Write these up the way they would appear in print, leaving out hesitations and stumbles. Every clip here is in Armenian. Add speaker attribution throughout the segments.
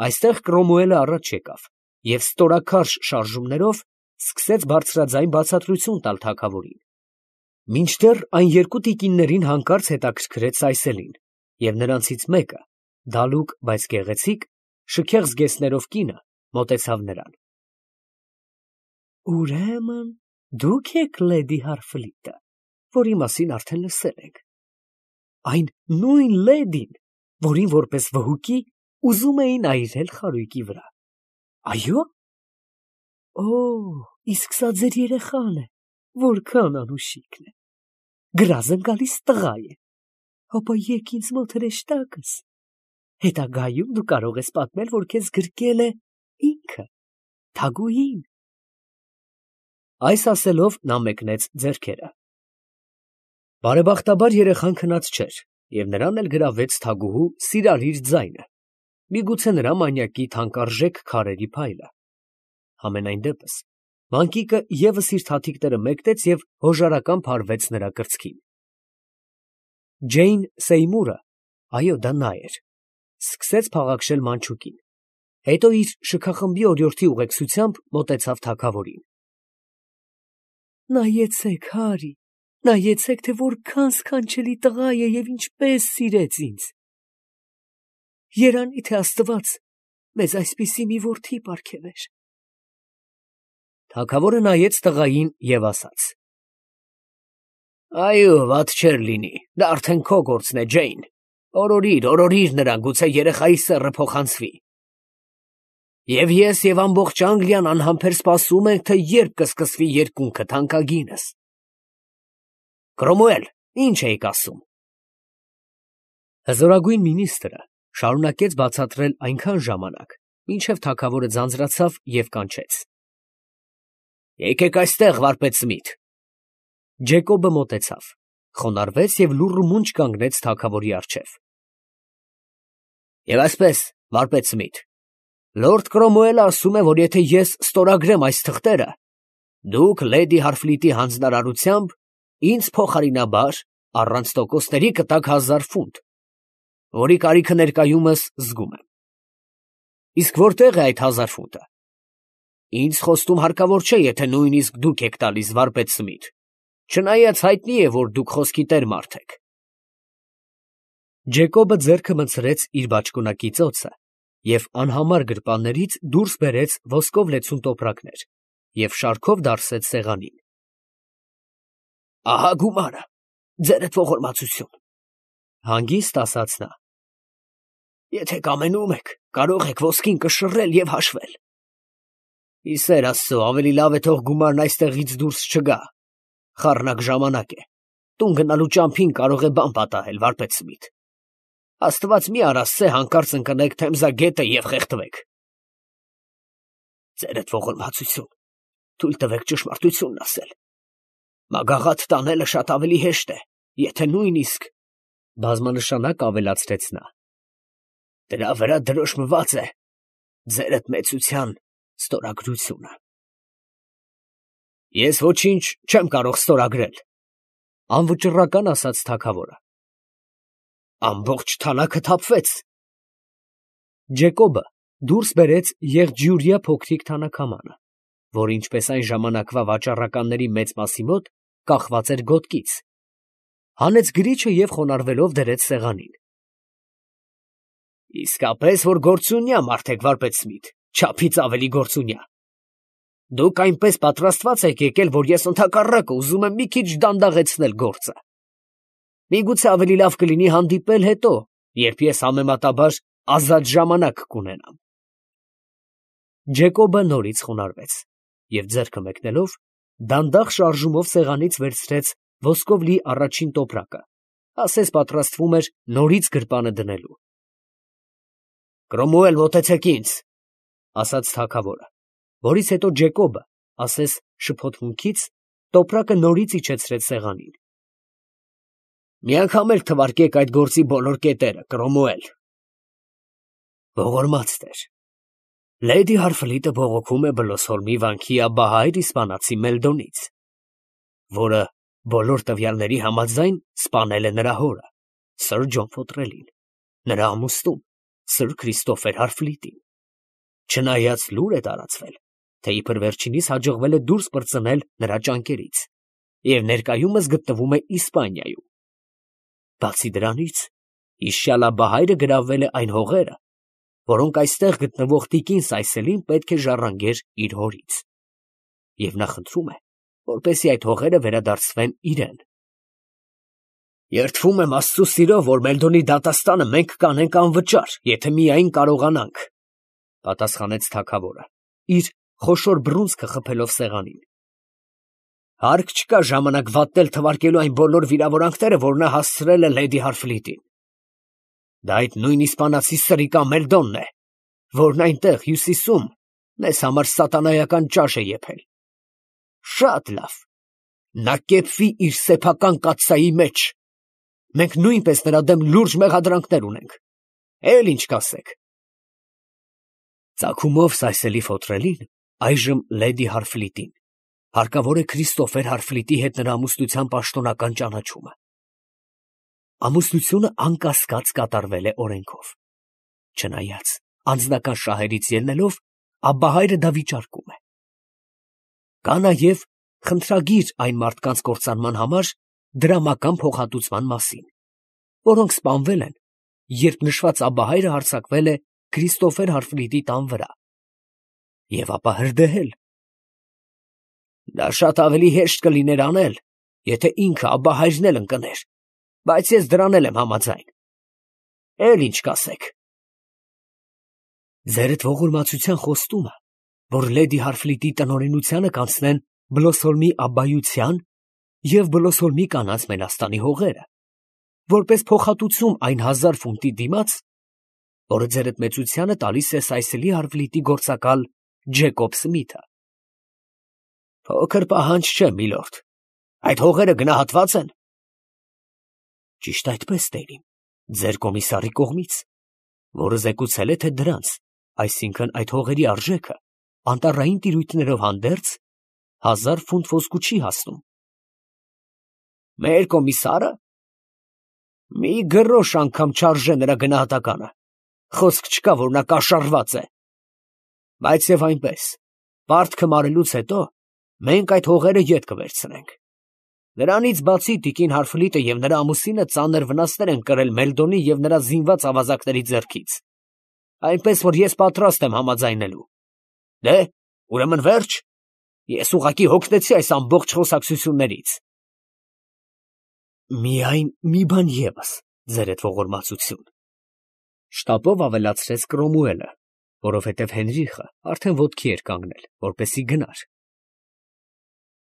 Speaker 1: Այստեղ Կրոմուելը առաջ եկավ և ստորաքարշ շարժումներով սկսեց բարձրաձայն բացատրություն տալ թագավորին։ Մինչդեռ այն երկու տիկիններին հանկարծ հետաքրքրեց Սայսելին, և նրանցից մեկը, դալուկ, բայց գեղեցիկ, շքեղ զգեստներով կինը, մոտեցավ նրան։ Ուրեմն դուք եք լեդի Հարֆլիտը, որի մասին արդեն լսել ենք։ Այն նույն լեդին, որին որպես վհուկի ուզում էին այրել խարույկի վրա։ Այո՞։ Օ, իսկ սա ձեր երեխան է, որքան անուշիկն է։ Գրազն գալիս տղա է։ Ապա եկ ինձ մոտ հրեշտակս։ Հետագայում դու կարող ես պատմել, որ քեզ գրկել է ինքը, Թագուհին։ Այս ասելով նա մեկնեց ձեռքերը։ Բարեբախտաբար երեխան քնած չէր, և նրան էլ գրավեց թագուհու սիրալիր ձայնը, միգուցե նրա մանյակի թանկարժեք քարերի փայլը։ Համենայն դեպս, մանկիկը ևս իր թաթիկները մեկնեց և հոժարական փարվեց նրա կրծքին։ Ջեյն Սեյմուրը, այո, դա նա էր, սկսեց փաղաքշել մանչուկին, հետո իր շքախմբի օրիորդի ուղեկցությամբ մոտեցավ թագավորին։ Նայեցեք, Հարի, նայեցեք, թե որքան սքանչելի տղա է և ինչպես սիրեց ինձ։ Երանի թե Աստված մեզ այսպիսի մի որդի պարգևեր։ Թագավորը նայեց տղային և ասաց. Այո, վատ չէր լինի, դա արդեն քո գործն է, Ջեյն, օրորիր նրան, գուցե երեխայի սեռը փոխանցվի։ Եվ ես և ամբողջ Անգլիան անհամբեր սպասում ենք, թե երբ կսկսվի երկունքը, թանկագինս։ Կրոմուել, ինչ էիք ասում։ Հզորագույն մինիստրը շարունակեց բացատրել այնքան ժամանակ, մինչև թագավորը ձանձրացավ և կանչեց. Եկեք այստեղ, վարպետ Սմիթ։ Ջեկոբը մոտեցավ, խոնարհվեց և լուռ ու մունջ կանգնեց թագավորի առջև։ Եվ այսպես, վարպետ Սմիթ, լորդ Կրոմուելը ասում է, որ եթե ես ստորագրեմ այս թղթերը, դուք լեդի Հարֆլիտի հանձնարարությամբ ինձ փոխարինաբար առանց տոկոսների կտաք 1000 ֆունտ, որի կարիքը ներկայումս զգում եմ։ Իսկ որտե՞ղ է այդ 1000 ֆունտը։ Ինձ խոստում հարկավոր չէ, եթե նույնիսկ դուք եք տալիս, վարպետ Սմիթ, չնայած հայտնի է, որ դուք խոսքի տեր մարդ եք։ Ջեկոբը ձեռքը մտցրեց իր բաճկոնակի ծոցը և անհամար գրպաններից դուրս բերեց ոսկով լեցուն տոպրակներ և շարքով դարսեց սեղանին։ Ահա գումարը, ձերդ ողորմածություն, հանգիստ ասաց նա։ Եթե կամենում եք, կարող եք ոսկին կշռել և հաշվել։ Ի սեր Աստծո, ավելի լավ է թող գումարն այստեղից դուրս չգա, խառնակ ժամանակ է, տուն գնալու ճամփին կարող է բան պատահել, վարպետ Սմիթ։ Աստված մի արա սե հանկարծ ընկնեք Թեմզագետը և խեղդվեք։ Ձերդ ողորմածություն, թույլ տվեք ճշմարտությունն ասել։ Մագաղաթ տանելը շատ ավելի հեշտ է, եթե նույնիսկ, բազմանշանակ ավելացրեց նա, դրա վրա դրոշմված է ձերդ մեծության ստորագրությունը։ Ես ոչինչ չեմ կարող ստորագրել, անվճռական ասաց թագավորը։ Ամբողջ թանաքը թափվեց։ Ջեկոբը դուրս բերեց եղջյուրյա փոքրիկ թանաքամանը, որ ինչպես այն ժամանակվա վաճառականների մեծ մասի մոտ կախված էր գոտկից, հանեց գրիչը և խոնարհվելով դրեց սեղանին։ Իսկապես, որ գործունյա մարդ եք, վարպետ Սմիթ, չափից ավելի գործունյա։ Դուք այնպես պատրաստված եք եկել, որ ես ընդհակառակը ուզում եմ մի քիչ դանդաղեցնել գործը։ Միգուցե ավելի լավ կլինի հանդիպել հետո, երբ ես համեմատաբար ազատ ժամանակ կունենամ։ Ջեկոբը նորից խոնարհվեց և ձեռքը մեկնելով, դանդաղ շարժումով սեղանից վերցրեց ոսկով լի առաջին տոպրակը, ասես պատրաստվում էր նորից գրպանը դնելու։ Կրոմուել, մոտեցեք ինձ, ասաց թագավորը, որից հետո Ջեկոբը, ասես շփոթմունքից, տոպրակը նորից իջեցրեց սեղանին։ Մի անգամ էլ թվարկեք այդ գործի բոլոր կետերը, Կրոմուել։ Ողորմած տեր, լեդի Հարֆլիտը բողոքում է Բլոսհոլմի վանքի աբահայր իսպանացի Մելդոնից, որը բոլոր տվյալների համաձայն սպանել է նրա հորը, սըր Ջոն Ֆոտրելին, նրա ամուսնուն, սըր Քրիստոֆեր Հարֆլիտին, Չնայած լուր է տարածվել, թե իբր վերջինիս հաջողվել է դուրս պրծնել նրա ճանկերից և ներկայումս գտնվում է Իսպանիայում։ Բացի դրանից, հիշյալ Աբբահայրը գրավել է այն հողերը, որոնք այստեղ գտնվող տիկին Սայսելին պետք է ժառանգեր իր հորից, և նա խնդրում է, որպեսզի այդ հողերը վերադարձվեն իրեն։ Երդվում եմ Աստծու սիրով, որ Մելդոնի դատաստանը մենք կանենք անվճար, եթե միայն կարողանանք, պատասխանեց թագավորը, իր խոշոր բռունցքը խփելով սեղանին։ Հարկ չկա ժամանակ վատնել թվարկելու այն բոլոր վիրավորանքները, որ նա հասցրել է լեդի Հարֆլիտին։ Դա այդ նույն իսպանացի սրիկա Մելդոնն է, որն այնտեղ հյուսիսում մեզ համար սատանայական ճաշ է եփել։ Շատ լավ, նա կեպվի իր սեփական կաթսայի մեջ։ Մենք նույնպես նրա դեմ լուրջ մեղադրանքներ ունենք։ Էլ ինչ կասեք։ Ծագումով Սայսելի Ֆոտրելին, այժմ լեդի Հարֆլիտին, հարկավոր է Քրիստոֆեր Հարֆլիտի հետ նրա ամուսնության պաշտոնական ճանաչումը։ Ամուսնությունը անկասկած կատարվել է օրենքով։ Չնայած անձնական շահերից ելնելով, Աբբահայրը դա վիճարկում է։ Կա նաև խնդրագիր այն մարդկանց կործանման համար դրամական փոխհատուցման մասին, որոնք սպանվել են, երբ նշված Աբբահայրը հարձակվել է Քրիստոֆեր Հարֆլիտի տան վրա, և ապա հրդեհել։ Դա շատ ավելի հեշտ կլիներ անել, եթե ինքը Աբբահայրն էլ ընկներ, բայց ես դրան էլ եմ համաձայն։ Էլ ինչ կասեք։ Ձերդ ողորմածության խոստումը, որ լեդի Հարֆլիտի տնօրենությանը կանցնեն Բլոսոլմի Աբբայության և Բլոսոլմի կանանց Մենաստանի հողերը, որպես փոխհատուցում այն 1000 ֆունտի դիմաց, որը ձերդ մեծությանը տալիս է Սայսելի Հարֆլիտի գործակալ Ջեկոբ Սմիթը։ Փոքր պահանջ չէ, միլորդ, այդ հողերը գնահատված են։ Ճիշտ այդպես, տերին, ձեր կոմիսարի կողմից, որը զեկուցել է, թե դրանց, այսինքն այդ հողերի արժեքը անտառային տիրույթներով հանդերձ 1000 ֆունտ ոսկու չի հասնում։ Մեր կոմիսարը մի գրոշ անգամ չարժե նրա գնահատականը, խոսք չկա, որ նա կաշառված է։ Բայց և այնպես, պարտքը մարելուց հետո մենք այդ հողերը ետ կվերցնենք։ Նրանից բացի տիկին Հարֆլիտը և նրա ամուսինը ծանր վնասներ են կրել Մելդոնի և նրա զինված ավազակների ձեռքից, այնպես որ ես պատրաստ եմ համաձայնելու։ Դե, ուրեմն վերջ, ես ուղղակի հոգնեցի այս ամբողջ խոսակցություններից։ Միայն մի բան ևս, ձերդ ողորմածություն, շտապով ավելացրեց Կրոմուելը, որովհետև Հենրիխը արդեն ոտքի էր կանգնել, որպեսզի գնար։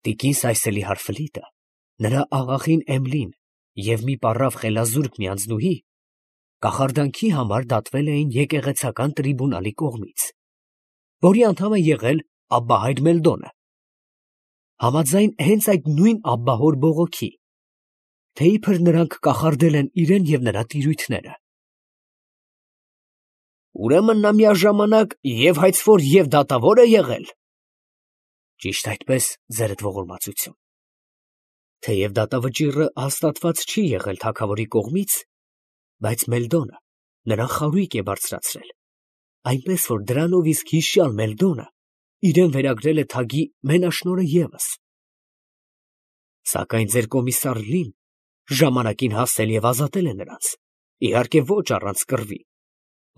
Speaker 1: Տիկին Սայսելի Հարֆլիտը, նրա աղախին Էմլին և մի պառավ խելազուրկ մի անձնուհի կախարդանքի համար դատվել էին եկեղեցական տրիբունալի կողմից, որի անդամ է եղել Աբբահայր Մելդոնը, համաձայն հենց այդ նույն աբբահոր բողոքի, թե իբր նրանք կախարդել են իրեն և նրա տիրույթները։ Ուրեմն նա միաժամանակ և հայցվոր և դատավոր է եղել։ Ճիշտ այդպես, ձերդ ողորմածություն։ Թեև դատավճիռը հաստատված չի եղել թագավորի կողմից, բայց Մելդոնը նրան խարույկ է բարձրացրել, այնպես որ դրանով իսկ հիշյալ Մելդոնը իրեն վերագրել է թագի մենաշնորհը ևս։ Սակայն ձեր կոմիսար Լին ժամանակին հասել և ազատել է նրանց, իհարկե ոչ առանց կռվի,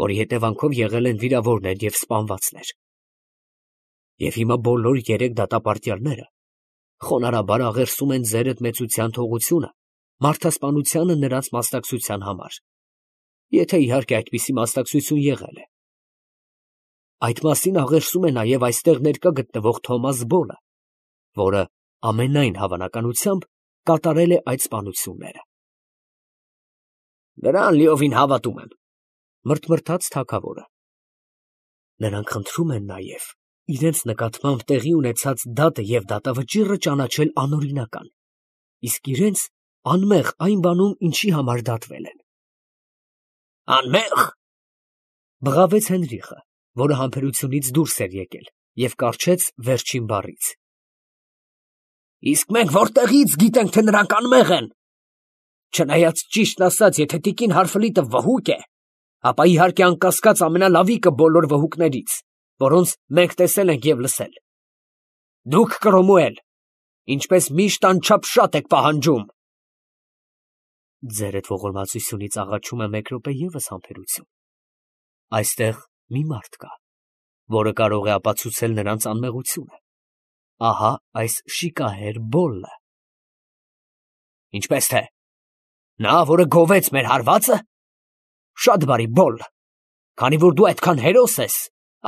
Speaker 1: որի հետևանքով եղել են վիրավորներ և սպանվածներ։ Եվ հիմա բոլոր 3 դատապարտյալները խոնարհաբար աղերսում են ձերդ մեծության թողությունը մարդասպանությանը նրանց մասնակցության համար, եթե իհարկե այդպիսի մասնակցություն եղել է։ Այդ մասին աղերսում է նաև այստեղ ներկա գտնվող Թոմաս Բոլը, որը ամենայն հավանականությամբ կատարել է այդ սպանությունները։ Նրան լիովին հավատում եմ, մրթմրթաց թագավորը։ Նրանք խնդրում են նաև իրենց նկատմամբ տեղի ունեցած դատը և դատավճիռը ճանաչել անօրինական, իսկ իրենց անմեղ այն բանում, ինչի համար դատվել են։ Անմեղ, բղավեց Հենրիխը, որը համբերությունից դուրս էր եկել և կառչեց վերջին բառից։ Իսկ մենք որտեղից գիտենք, թե նրանք անմեղ են։ Չնայած ճիշտն ասած, եթե տիկին Հարֆլիտը վհուկ է, ապա իհարկե անկասկած ամենալավիկը բոլոր վհուկներից, որոնց մենք տեսել ենք և լսել։ Դուք, Կրոմուել, ինչպես միշտ անչափ շատ եք պահանջում։ Ձերդ ողորմածությունից աղաչում եմ մեկ րոպե ևս համբերություն։ Այստեղ մի մարդ կա, որը կարող է ապացուցել նրանց անմեղությունը։ Ահա այս շիկահեր Բոլը։ Ինչպես թե, նա, որը գովեց մեր հարվածը։ Շատ բարի, Բոլ, քանի որ դու այդքան հերոս ես,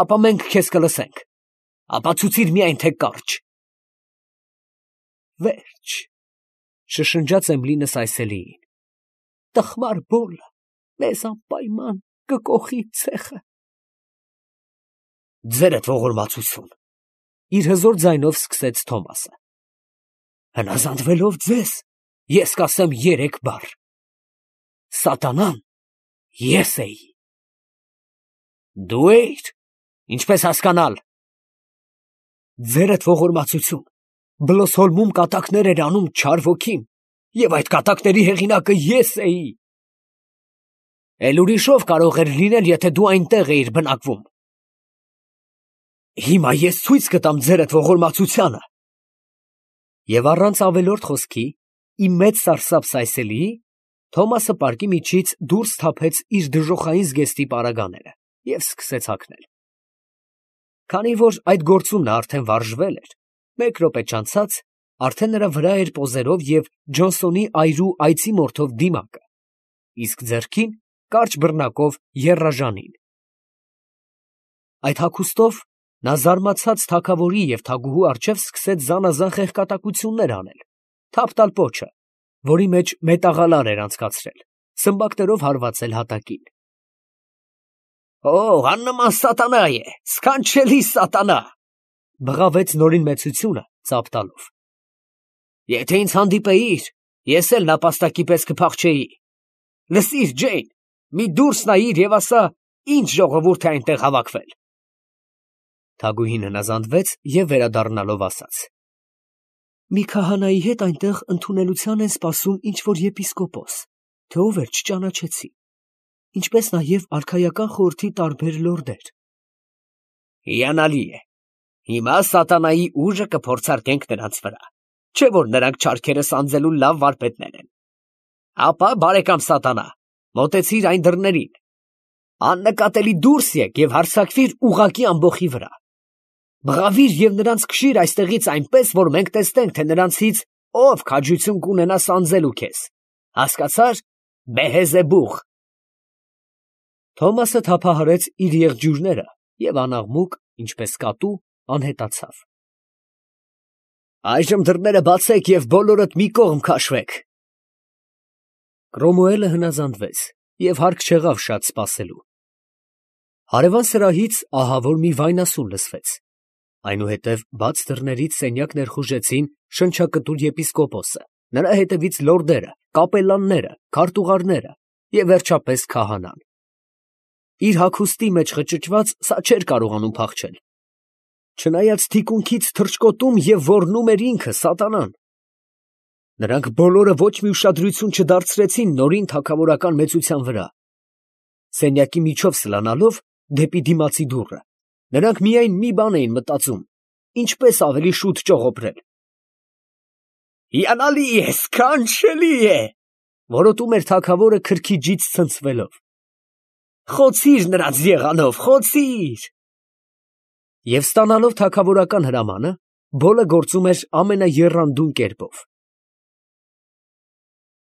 Speaker 1: ապա մենք քեզ կլսենք։ Ապացուցիր միայն, թե կարճ։ Վերջ, շշնջաց Էմլինը Սայսելիին։ Տխմար Բոլը մեզ անպայման կկոխի ցեխը։ Ձերդ ողորմածություն, իր հզոր ձայնով սկսեց Թոմասը։ Հնազանդվելով ձեզ, ես կասեմ 3 բառ. Սատանան ես էի։ Դու էիր, ինչպես հասկանալ։ Ձերդ ողորմածություն, Բլոսհոլմում կատակներ էր անում չար ոգին, և այդ կատակների հեղինակը ես էի։ Էլ ուրիշով կարող էր լինել, եթե դու այնտեղ էիր բնակվում։ Հիմա ես ցույց կտամ ձերդ ողորմածությանը։ Եվ առանց ավելորդ խոսքի, ի մեծ սարսափ Սայսելիի, Թոմասը պարկի միջից դուրս թափեց իր դժոխային զգեստի պարագաները և սկսեց հագնել։ Քանի որ այդ գործում նա արդեն վարժվել էր, մեկ րոպե չանցած արդեն նրա վրա էր պոզերով և Ջոնսոնի այրու այծի մորթով դիմակը, իսկ ձեռքին կարճ բռնակով եռաժանին։ Այդ հագուստով նա զարմացած թագավորի և թագուհու առջև սկսեց զանազան խեղկատակություններ անել, թափ տալ պոչը, որի մեջ մետաղալար էր անցկացրել, սմբակներով հարվածել հատակին։ Օ, աննման սատանա է, սքանչելի սատանա, բղավեց նորին մեծությունը ծափ տալով։ Եթե ինձ հանդիպեիր, ես էլ նապաստակի պես կփախչեի։ Լսիր, Ջեյն, մի դուրս նայիր և ասա, ինչ ժողովուրդ է այնտեղ հավաքվել։ Թագուհին հնազանդվեց և վերադառնալով ասաց. Մի քահանայի հետ այնտեղ ընդունելության են սպասում ինչ-որ եպիսկոպոս, թե ով էր չճանաչեցի, ինչպես նաև արքայական խորհրդի տարբեր լորդեր։ Հիանալի է։ Հիմա սատանայի ուժը կփորձարկենք նրանց վրա, չէ՞ որ նրանք չարքերը սանձելու լավ վարպետներ են։ Ապա, բարեկամ սատանա, մոտեցիր այն դռներին, աննկատելի դուրս եկ և հարձակվիր ուղղակի ամբոխի վրա։ Բղավիր և նրանց քշիր այստեղից այնպես, որ մենք տեսնենք, թե նրանցից ով քաջություն կունենա սանձելու քեզ։ Հասկացա՞ր, Բեհեզեբուղ։ Թոմասը թափահարեց իր եղջյուրները և անաղմուկ, ինչպես կատու, անհետացավ։ Այժմ դռները բացեք և բոլորդ մի կողմ քաշվեք։ Կրոմուելը հնազանդվեց և հարկ չեղավ շատ սպասելու։ Հարևան սրահից ահավոր մի վայնասուն լսվեց։ Այնուհետև բաց դռներից սենյակ ներխուժեցին շնչակտուր եպիսկոպոսը, նրա հետևից լորդերը, կապելլանները, քարտուղարները և վերջապես քահանան։ Իր հագուստի մեջ խճճված սա չէր կարողանում փախչել։ Չնայած թիկունքից թռչկոտում և ոռնում էր ինքը սատանան։ Նրանք բոլորը ոչ մի ուշադրություն չդարձրեցին նորին թագավորական մեծության վրա։ Սենյակի միջով սլանալով դեպի դիմացի դուռը, նրանք միայն մի բան էին մտածում. ինչպես ավելի շուտ ճողոպրել։ Հիանալի է, սքանչելի է, որոտում էր թագավորը քրքիջից ցնցվելով։ Խոցիր նրանց եղանով, խոցիր։ Եվ ստանալով թագավորական հրամանը, Բոլը գործում էր ամենաեռանդուն կերպով։